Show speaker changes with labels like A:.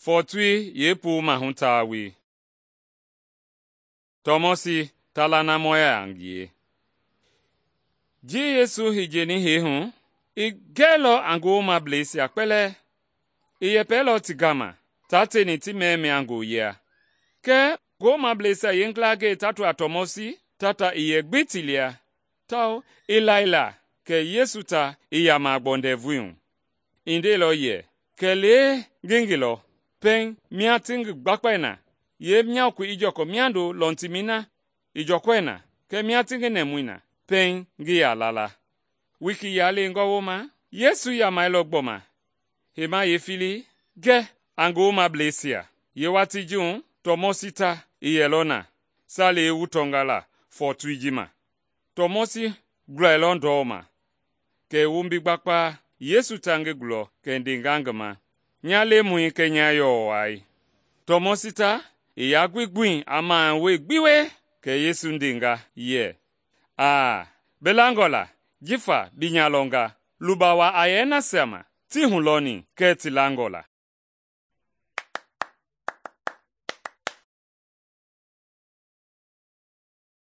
A: fɔɔtoi yeepuu maahu tawei. Tɔmɔsi ta lanamɔya a ngie. Ji Yesu i jieni hee hu, i gɛilɔ a ngowomableisia kpɛlɛɛ. I yɛpɛlɔ ti gama taa tieni ti mɛmɛɛ ngooyia. Kɛɛ ngowomableisia yeengilangɛi ta to a Tɔmɔsi tata ii yɛ gbi ti lia, tawao i laila kɛ Yesu ta i yama a gbɔ ndɛvui hu. I ndeilɔ yɛ, “Kɛlee ngi ngilɔ, pɛiŋ mia ti ngi gbakpae na, yeemyaokoi i jɔkɔ miando lɔntimɛi na i jɔkɔɛ na, kɛɛ mia ti ngi nɛmui na, pɛiŋ ngi yaa lala.” Wiki yalengɔ wooma, Yesu yamailɔ gbɔma heima yeefilii gɛ a ngowomableisia. Yeewatii ji hu Tɔmɔsi ta i yɛlɔ na salei wu tɔnga la fɔɔtoi ji ma. Tɔmɔsi gulailɔ ndɔu ma, kɛ i wombi gbakpaa. Yesu ta ngi gulɔ kɛ i ndenga ngi ma, “Nya Lemɔi kɛɛ nya yɔɔ wai.” Tɔmɔsi ta i yaa gbi gbui a mawoi gbi wie. Kɛ Yesu ndenga yɛ, “Aa, bi langɔ la jifa bi nya lɔnga. Luba waa a yɛ nasia ma tii hulɔni kɛɛ ti langɔ la.”